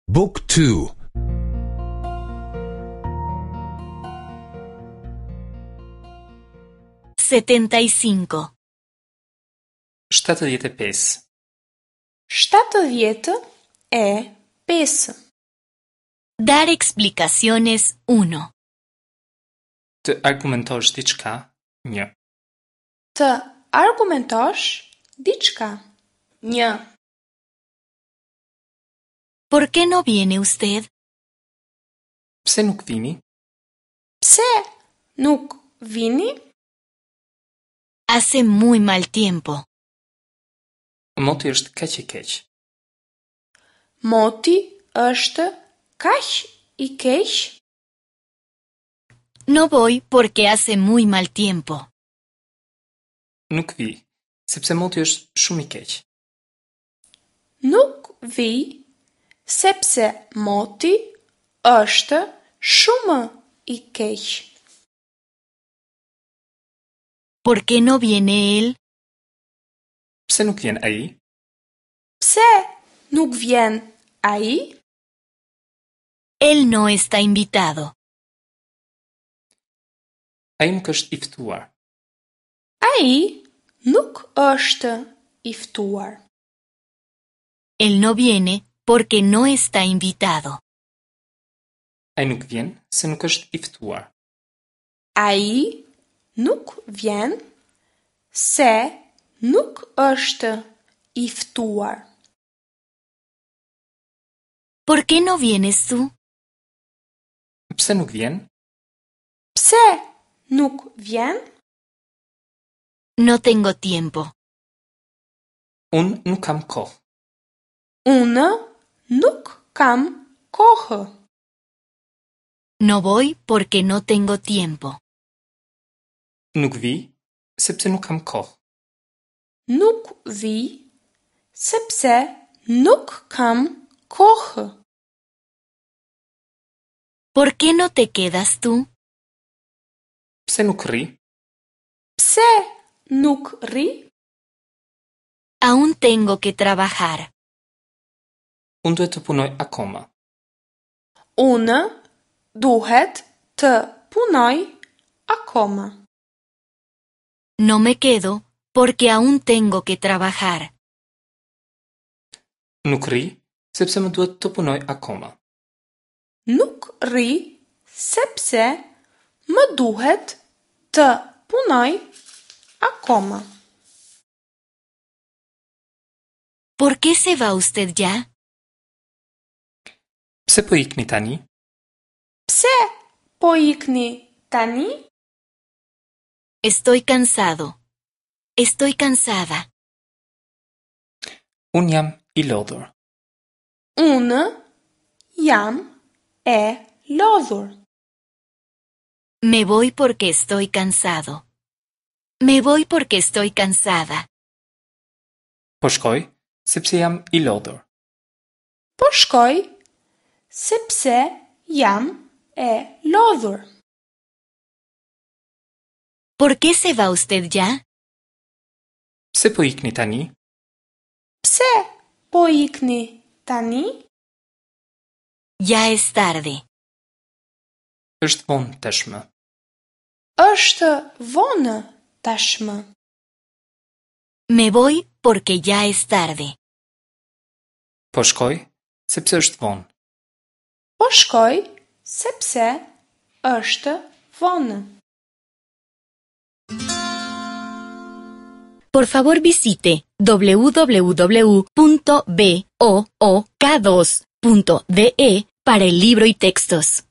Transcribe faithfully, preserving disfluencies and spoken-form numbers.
Book two. Setenta y cinco. Shtatëdhjetë e pesë. Shtatëdhjetë e pesë. Dar explicaciones uno. Të argumentosh diçka, një. Të argumentosh diçka, një. ¿Por qué no viene usted? Pse nuk vini? Pse nuk vini? Hace muy mal tiempo. Moti është kaq i keq. Moti është kaq i keq. No voy porque hace muy mal tiempo. Nuk vi, sepse moti është shumë i keq. Nuk vi, sepse moti është shumë i keq. ¿Por qué no viene él? Pse nuk vjen ai? Pse nuk vjen ai? Él no está invitado. Ai nuk është i ftuar. Ai nuk është i ftuar. Él no viene porque no está invitado. Ai nuk vjen se nuk është i ftuar. Ai nuk vjen se nuk është i ftuar. ¿Por qué no vienes tú? Pse nuk vjen? Pse nuk vjen? No tengo tiempo. Unë nuk kam kohë. Unë nuk kam kohë. No voy porque no tengo tiempo. Nuk vi, sepse nuk kam kohë. Nuk vi, sepse nuk kam kohë. ¿Por qué no te quedas tú? Pse nuk rri? Pse nuk rri? Aún tengo que trabajar. Unë duhet të punoj akoma. Unë duhet të punoj akoma. No me quedo porque aún tengo que trabajar. Nuk rri, sepse më duhet të punoj akoma. Nuk rri, sepse më duhet të punoj akoma. ¿Por qué se va usted ya? Pse po ikni tani? Pse po ikni tani? Estoy cansado. Estoy cansada. Unë jam i lodhur. Unë jam e lodhur. Me voy porque estoy cansado. Me voy porque estoy cansada. Po shkoj, sepse jam i lodhur. Po shkoj, sepse jam e lodhur. ¿Por qué se va usted ya? Pse po ikni tani? Pse po ikni tani? Ya es tarde. Është vonë tashmë. Është vonë tashmë. Me voy porque ya es tarde. Po shkoj, sepse është vonë. Po shkoj, sepse është vonë. Por favor visite w w w punto b o o k dos punto d e para el libro y textos.